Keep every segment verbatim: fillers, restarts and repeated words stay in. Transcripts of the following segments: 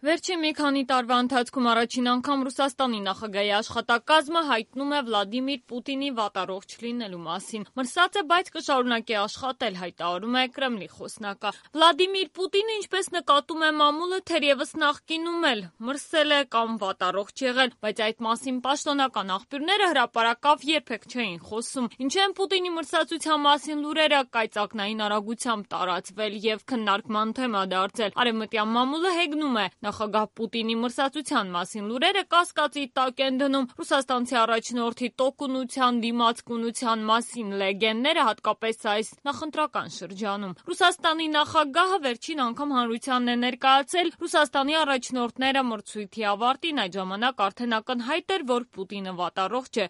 Վերջին մի քանի տարվա ընթացքում առաջին անգամ Ռուսաստանի նախագահի աշխատակազմը հայտնում է Վլադիմիր Պուտինի վատառողջ լինելու մասին։ Մրսած է, բայց կշարունակի աշխատել, հայտարարում է Կրեմլի խոսնակը։ Վլադիմիր Պուտինը, ինչպես նկատում է մամուլը, թերևս նախկինում էլ մրսել է կամ վատառողջ եղել, բայց այդ մասին պաշտոնական աղբյուրները հրապարակավ երբեք չէին խոսում։ Ինչեն Պուտինի մրսածության մասին լուրերը կայծակնային արագությամբ տարածվել եւ քննարկման թեմա դարձել։ Արևմտյան մամուլը հեգնում է նախագահ Պուտինի մրսածության մասին լուրերը կասկածի տակ են դնում ռուսաստանցի առաջնորդի տոկունության, դիմացկունության մասին լեգենդները, հատկապես այս նախընտրական շրջանում։ Ռուսաստանի նախագահը վերջին անգամ հանրությանն է ներկայացել Ռուսաստանի առաջնորդները մրցույթի ավարտին, այդ ժամանակ արդեն ակնհայտ էր, որ Պուտինը վատառողջ է։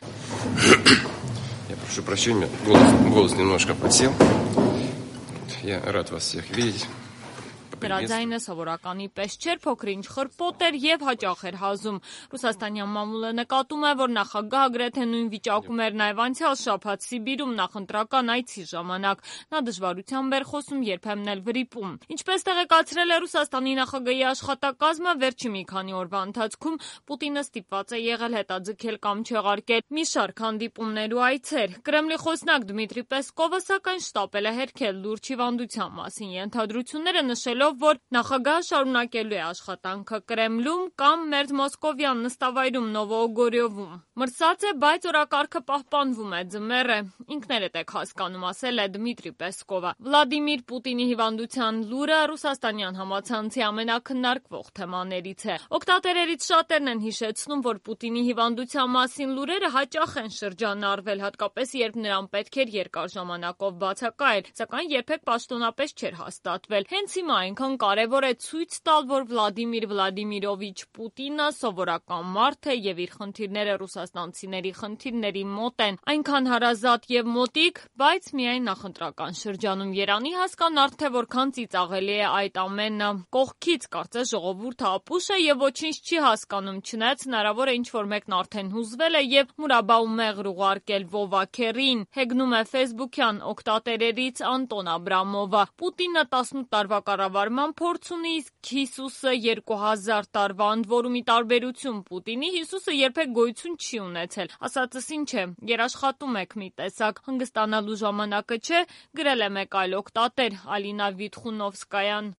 Я прошу прощения, голос, голос немножко подсел. Я рад вас всех видеть. Նրա ձայնը սովորականի պես չէր, փոքր-ինչ խրպոտ էր եւ հաճախ էր հազում։ Ռուսաստանյան մամուլը նկատում է, որ նախագահը գրեթե նույն վիճակում էր նաեւ անցյալ շաբաթ Սիբիրում նախընտրական այցի ժամանակ։ Նա դժվարությամբ էր խոսում, երբեմն էլ վրիպում։ Ինչպես տեղեկացրել է Ռուսաստանի նախագահի աշխատակազմը, վերջին մի քանի օրվա ընթացքում Պուտինը ստիպված է եղել հետաձգել կամ չեղարկել մի շարք հանդիպումներ ու այցեր։ Կրեմլի խոսնակ Դմիտրի Պեսկովը սակայն շտապել է հերքել լուրջ հիվանդության մասին ենթադրությունները, նշելով, որ նախագահը շարունակելու է աշխատանքը Կրեմլում կամ մերձ Մոսկովյան նստավայրում Նովոոգորյովում։ Մրսած է, բայց օրակարգը պահպանվում է, ձմեռ է։ Ինքներդ եք հասկանում, ասել է Դմիտրի Պեսկովը։ Վլադիմիր Պուտինի հիվանդության լուրը ռուսաստանյան համացանցի ամենակննարկվող թեմաներից է։ Օգտատերերից շատերն են հիշեցնում, որ Պուտինի հիվանդության մասին լուրերը հաճախ են շրջանառվել, հատկապես երբ նրան պետք էր երկար ժամանակով բացակայել, սակայն երբեք պաշտոնապես չէր հաստատվել։ Հենց հիմա այնքան կարևոր է ցույց տալ, որ Վլադիմիր Վլադիմիրովիչ Պուտինը սովորական մարդ է եւ իր խնդիրները ռուսաստանցիների խնդիրների մոտ են, այնքան հարազատ եւ մոտիկ, բայց միայն նախընտրական շրջանում Երանի հասկանալ, թե որքան ծիծաղելի է այդ ամենը։ Կողքից կարծես ժողովուրդը ապուշ է եւ ոչինչ չի հասկանում, չնայած հնարավոր է ինչ-որ մեկն արդեն հուզվել է եւ մուրաբա ու մեղր ուղարկել Վովաքերին, հեգնում է ֆեյսբուքյան օգտատերերից Անտոն Աբրամովը։ Պուտինը տասնութ տարվա կառավարման փորձ ունի, իսկ Հիսուսը երկու հազար տարվա, ընդ որում ի տարբերություն Պուտինի, Հիսուսը երբեք գոյություն չի ունեցել։ Ասածս ինչ է, երաշխատում եք մի տեսակ, հանգստանալու ժամանակը չէ, գրել է մեկ այլ օգտատեր՝ Ալինա Վիտխունովսկայան։